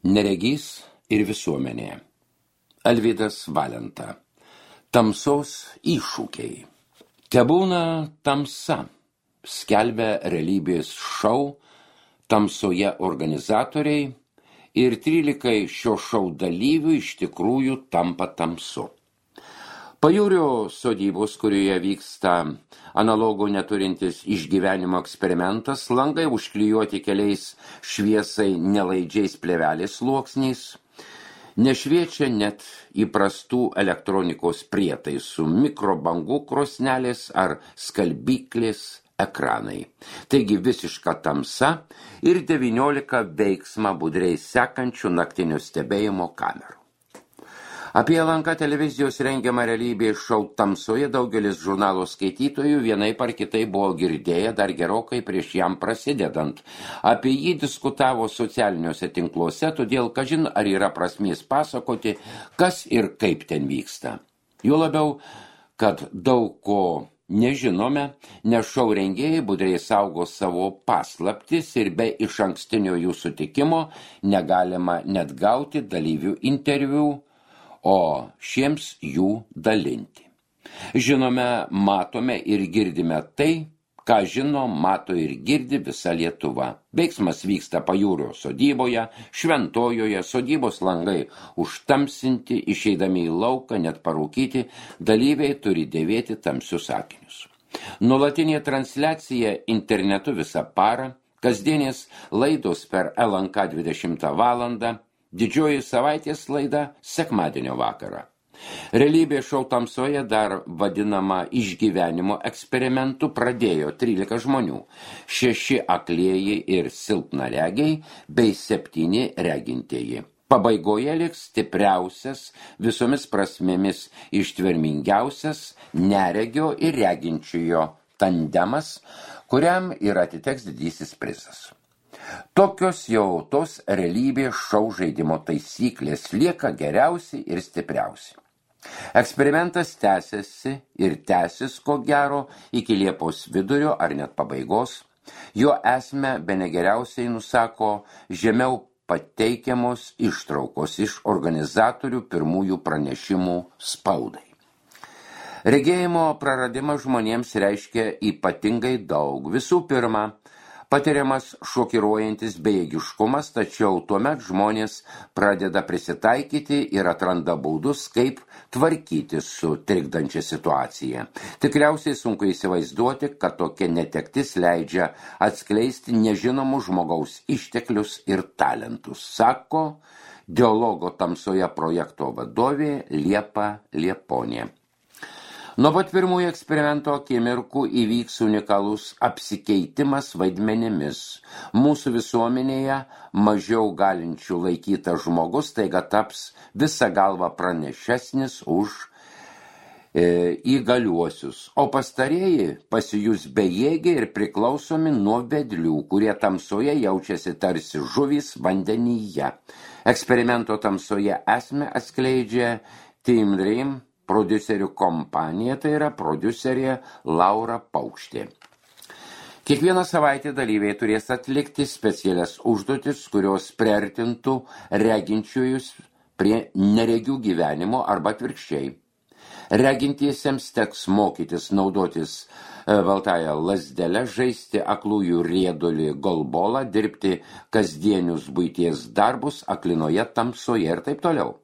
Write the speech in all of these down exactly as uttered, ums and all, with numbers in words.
Neregys ir visuomenė. Alvydas Valenta. Tamsos iššūkiai. Tebūna tamsa, skelbia realybės šou Tamsoje organizatoriai ir trylikai šio šou dalyvių iš tikrųjų tampa tamsu. Pajūrio sodybos, kurioje vyksta analogų neturintis išgyvenimo eksperimentas, langai užklijuoti keliais šviesai nelaidžiais plėvelės sluoksniais, nešviečia net įprastų elektronikos prietaisų, mikrobangų krosnelės ar skalbyklės ekranai. Taigi visiška tamsa ir devyniolika veiksmą budriai sekančių naktinio stebėjimo kamerų. Apie L N K televizijos rengiamą realybės šou Tamsoje daugelis žurnalo skaitytojų vienaip ar kitai buvo girdėję dar gerokai prieš jam prasidedant. Apie jį diskutavo socialiniuose tinkluose, todėl kažin ar yra prasmės pasakoti, kas ir kaip ten vyksta. Juo labiau, kad daug ko nežinome, nes šou rengėjai budriai saugo savo paslaptis ir be išankstinio jų sutikimo negalima net gauti dalyvių interviu, o šiems jų dalinti. Žinome, matome ir girdime tai, ką žino, mato ir girdi visa Lietuva. Veiksmas vyksta Pajūrio sodyboje, Šventojoje, sodybos langai užtamsinti, išeidami į lauką, net parūkyti, dalyviai turi dėvėti tamsius akinius. Nuolatinė transliacija internetu visą parą, kasdienės laidos per L N K dvidešimtą valandą, didžioji savaitės laida sekmadienio vakarą. Realybė šou Tamsoje, dar vadinama išgyvenimo eksperimentu, pradėjo trylika žmonių, šeši aklieji ir silpnaregiai bei septyni regintieji. Pabaigoje liks stipriausias, visomis prasmėmis ištvermingiausias neregio ir reginčiojo tandemas, kuriam ir atiteks didysis prizas. Tokios jau tos realybės šou žaidimo taisyklės, lieka geriausi ir stipriausi. Eksperimentas tęsiasi ir tęsis ko gero iki Liepos vidurio ar net pabaigos. Jo esmę bene geriausiai nusako žemiau pateikiamos ištraukos iš organizatorių pirmųjų pranešimų spaudai. Regėjimo praradimas žmonėms reiškia ypatingai daug. Visų pirma, patiriamas šokiruojantis bejėgiškumas, tačiau tuomet žmonės pradeda prisitaikyti ir atranda būdus, kaip tvarkyti su trikdančia situacija. Tikriausiai sunku įsivaizduoti, kad tokia netektis leidžia atskleisti nežinomų žmogaus išteklius ir talentus, sako Dialogo Tamsoje projekto vadovė Liepa Lieponė. Nuo pat pirmųjų eksperimento akimirkų įvyks unikalus apsikeitimas vaidmenimis. Mūsų visuomenėje mažiau galinčių laikyta žmogus taiga taps visą galvą pranešesnis už e, įgaliuosius, o pastarieji pasijus bejėgiai ir priklausomi nuo vedlių, kurie tamsoje jaučiasi tarsi žuvys vandenyje. Eksperimento Tamsoje esmę atskleidžia Team Dream prodiuserių kompanija, tai yra prodiuserė Laura Paukštė. Kiekvieną savaitę dalyviai turės atlikti specialias užduotis, kurios priartintų reginčiųjus prie neregių gyvenimo arba atvirkščiai. Regintiesiems teks mokytis naudotis baltąją lazdelę, žaisti aklųjų riedulį golbolą, dirbti kasdienius buities darbus aklinoje tamsoje ir taip toliau.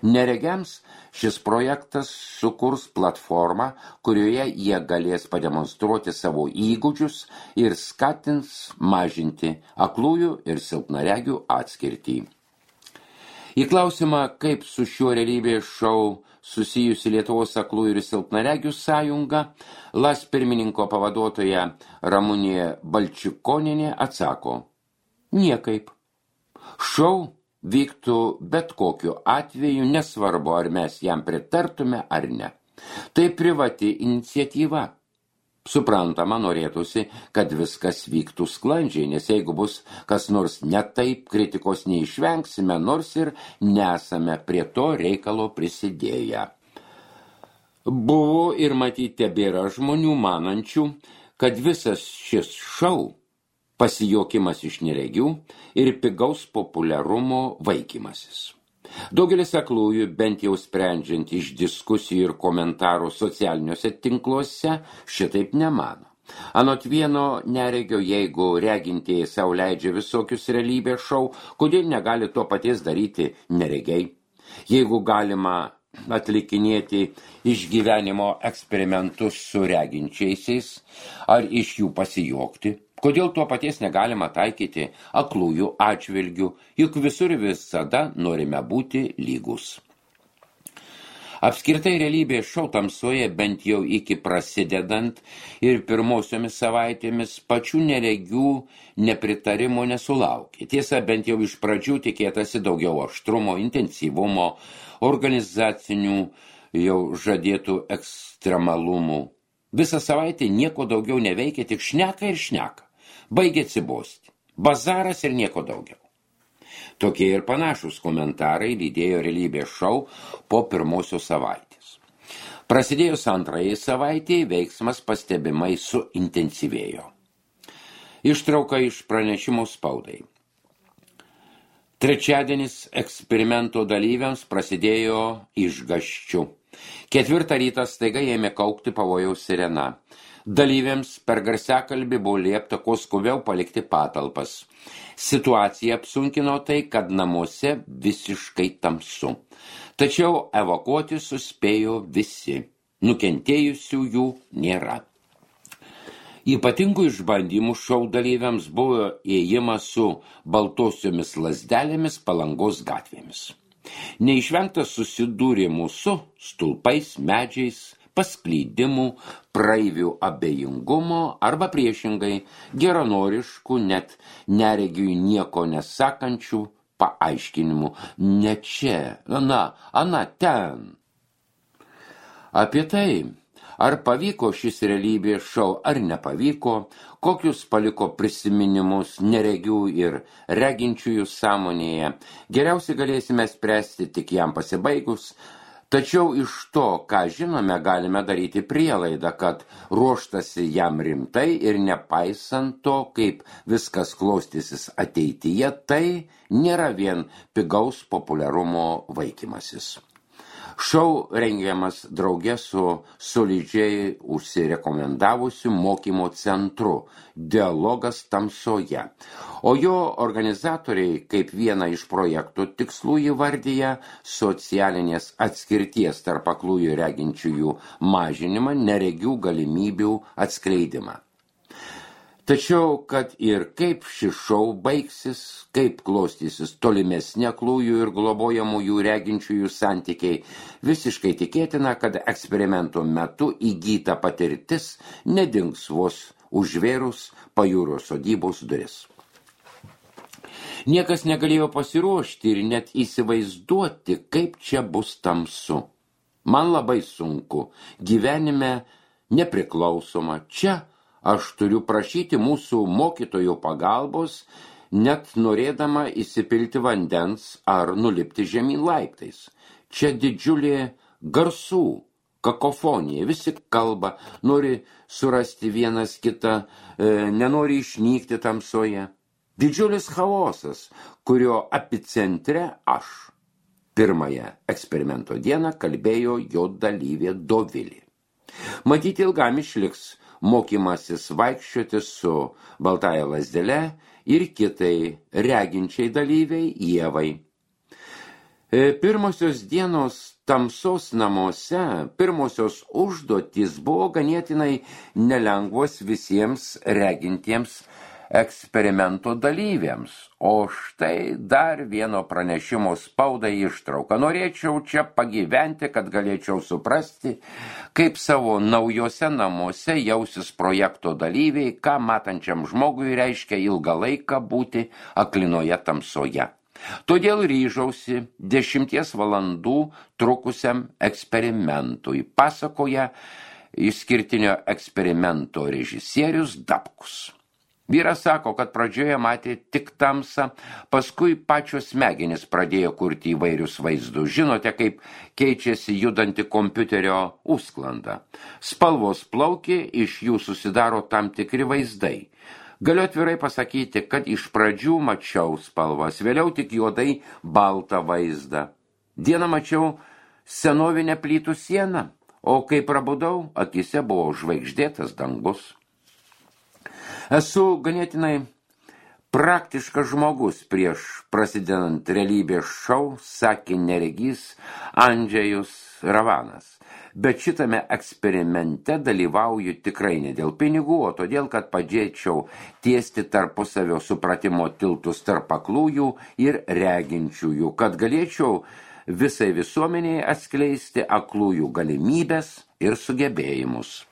Neregiams šis projektas sukurs platformą, kurioje jie galės pademonstruoti savo įgūdžius ir skatins mažinti aklųjų ir silpnaregių atskirtį. Į klausimą, kaip su šiuo realybės šou susijusi Lietuvos aklųjų ir silpnaregių sąjunga, L A S pirmininko pavaduotoja Ramunė Balčikonienė atsako: niekaip. Šou vyktų bet kokiu atveju, nesvarbu, ar mes jam pritartume ar ne. Tai privati iniciatyva. Suprantama, norėtųsi, kad viskas vyktų sklandžiai, nes jeigu bus kas nors ne taip, kritikos neišvengsime, nors ir nesame prie to reikalo prisidėję. Buvo ir matyti tebėra žmonių manančių, kad visas šis šou pasijuokimas iš neregių ir pigaus populiarumo vaikymasis. Daugelis aklųjų, bent jau sprendžiant iš diskusijų ir komentarų socialiniuose tinkluose, šitaip nemano. Anot vieno neregio, jeigu regintieji sau leidžia visokius realybės šou, kodėl negali to paties daryti neregiai? Jeigu galima atlikinėti išgyvenimo eksperimentus su reginčiaisiais ar iš jų pasijuokti, kodėl to paties negalima taikyti aklųjų atžvilgių, juk visur visada norime būti lygus. Apskritai realybės šou tamsoje bent jau iki prasidedant ir pirmosiomis savaitėmis pačių neregių nepritarimo nesulaukė. Tiesa, bent jau iš pradžių tikėtasi daugiau aštrumo, intensyvumo, organizacinių jau žadėtų ekstremalumų. Visą savaitę nieko daugiau neveikia, tik šneka ir šneka. Baigė atsibosti. Bazaras ir nieko daugiau. Tokie ir panašus komentarai lydėjo realybės šou po pirmosios savaitės. Prasidėjus antrajai savaitėje veiksmas pastebimai suintensyvėjo. Ištrauka iš pranešimų spaudai. Trečiadienis eksperimento dalyviams prasidėjo išgąsčiu. Ketvirtą rytą staiga ėmė kaukti pavojaus sirena. Dalyviams per garsiakalbį buvo liepta kuo skubiau palikti patalpas. Situacija apsunkino tai, kad namuose visiškai tamsu. Tačiau evakuoti suspėjo visi. Nukentėjusiųjų nėra. Ypatingų išbandymų šou dalyviams buvo ėjimas su baltosiomis lazdelėmis Palangos gatvėmis. Neišvengta susidūrimų su stulpais, medžiais, pasklydimų, praeivių abejingumo arba priešingai geranoriškų, net neregiui nieko nesakančių paaiškinimų. Ne čia, na, ana ten. Apie tai, ar pavyko šis realybės šou ar nepavyko, kokius paliko prisiminimus neregių ir reginčiųjų sąmonėje, geriausiai galėsime spręsti tik jam pasibaigus. Tačiau iš to, ką žinome, galime daryti prielaidą, kad ruoštasi jam rimtai ir nepaisant to, kaip viskas klostysis ateityje, tai nėra vien pigaus populiarumo vaikymasis. Šou rengiamas drauge su solidžiai užsirekomendavusiu mokymo centru Dialogas tamsoje, o jo organizatoriai kaip vieną iš projektų tikslų įvardyja socialinės atskirties tarp aklųjų reginčiųjų mažinimą, neregių galimybių atskleidimą. Tačiau, kad ir kaip šis šou baigsis, kaip klostysis tolimesni aklųjų ir globojamųjų reginčiųjų santykiai, visiškai tikėtina, kad eksperimento metu įgyta patirtis nedings vos užvėrus pajūrio sodybos duris. Niekas negalėjo pasiruošti ir net įsivaizduoti, kaip čia bus tamsu. Man labai sunku, gyvenime nepriklausoma, čia aš turiu prašyti mūsų mokytojų pagalbos, net norėdama įsipilti vandens ar nulipti žemyn laiptais. Čia didžiulė garsų kakofonija, visi kalba, nori surasti vienas kitą, e, nenori išnykti tamsoje. Didžiulis chaosas, kurio epicentre aš. Pirmąją eksperimento dieną kalbėjo jo dalyvė Dovilė. Matyti ilgam išliks mokymasis vaikščioti su baltąja lazdele ir kitai reginčiai dalyviai Ievai. Pirmosios dienos tamsos namuose, pirmosios užduotys buvo ganėtinai nelengvos visiems regintiems eksperimento dalyviams. O štai dar vieno pranešimo spaudai ištrauka. Norėčiau čia pagyventi, kad galėčiau suprasti, kaip savo naujose namuose jausis projekto dalyviai, ką matančiam žmogui reiškia ilgą laiką būti aklinoje tamsoje. Todėl ryžausi dešimties valandų trukusiam eksperimentui, pasakoja išskirtinio eksperimento režisierius Dapkus. Vyras sako, kad pradžioje matė tik tamsą, paskui pačios smegenys pradėjo kurti įvairius vaizdus. Žinote, kaip keičiasi judanti kompiuterio užsklanda. Spalvos plaukia, iš jų susidaro tam tikri vaizdai. Galiu atvirai pasakyti, kad iš pradžių mačiau spalvas, vėliau tik juodai baltą vaizdą. Dieną mačiau senovinę plytų sieną, o kai prabudau, akise buvo žvaigždėtas dangus. Esu ganėtinai praktiškas žmogus prieš prasidedant realybės šou, sakė neregys Andžejus Ravanas. Bet šitame eksperimente dalyvauju tikrai ne dėl pinigų, o todėl, kad padėčiau tiesti tarpusavio supratimo tiltus tarp aklųjų ir reginčiųjų, kad galėčiau visai visuomeniai atskleisti aklųjų galimybės ir sugebėjimus.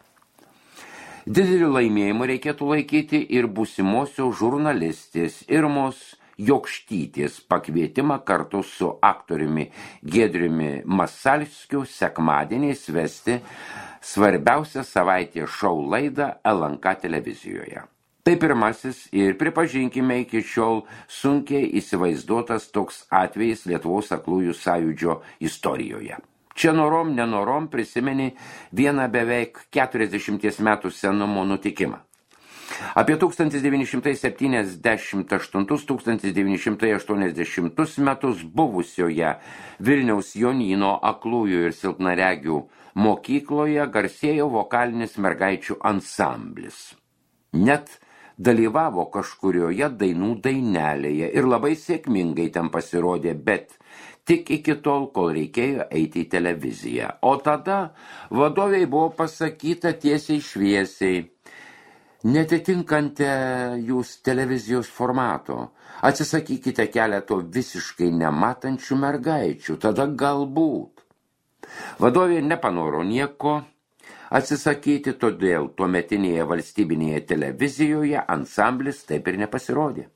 Dideliu laimėjimu reikėtų laikyti ir būsimosios žurnalistės Irmos Jokštytės pakvietimą kartu su aktoriumi Giedriumi Masalskiu sekmadieniais vesti svarbiausią savaitės šou laidą L N K televizijoje. Tai pirmasis ir, pripažinkime, iki šiol sunkiai įsivaizduotas toks atvejis Lietuvos aklųjų sąjūdžio istorijoje. Čia norom, nenorom prisimeni vieną beveik keturiasdešimties metų senumo nutikimą. Apie tūkstantis devyni šimtai septyniasdešimt aštuntus - tūkstantis devyni šimtai aštuoniasdešimtus metus buvusioje Vilniaus Jonyno aklųjų ir silpnaregių mokykloje garsėjo vokalinis mergaičių ansamblis. Net dalyvavo kažkurioje dainų dainelėje ir labai sėkmingai ten pasirodė, bet tik iki tol, kol reikėjo eiti į televiziją. O tada vadoviai buvo pasakyta tiesiai šviesiai: netitinkante jūs televizijos formato, atsisakykite keleto visiškai nematančių mergaičių, tada galbūt. Vadovė nepanoro nieko atsisakyti, todėl tuometinėje valstybinėje televizijoje ansamblis taip ir nepasirodė.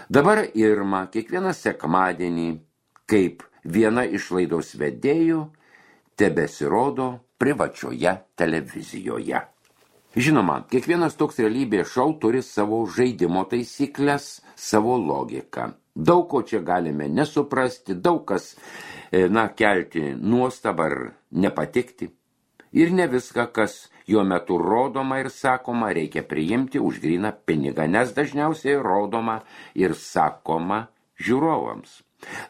Dabar Irma kiekvieną sekmadienį, kaip viena iš laidos vedėjų, tebesirodo privačioje televizijoje. Žinoma, kiekvienas toks realybės šou turi savo žaidimo taisyklės, savo logiką. Daug ko čia galime nesuprasti, daug kas, na, kelti nuostabą ar nepatikti. Ir ne viską, kas jo metu rodoma ir sakoma, reikia priimti už gryną pinigą, nes dažniausiai rodoma ir sakoma žiūrovams.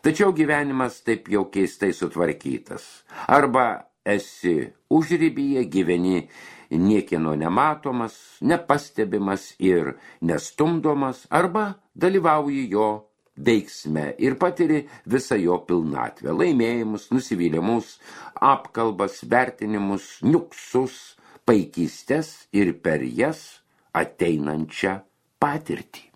Tačiau gyvenimas taip jau keistai sutvarkytas. Arba esi užribyje, gyveni niekieno nematomas, nepastebimas ir nestumdomas, arba dalyvauji jo veiksme ir patiri visą jo pilnatvę, laimėjimus, nusivylimus, apkalbas, vertinimus, niuksus, paikystes ir per jas ateinančią patirtį.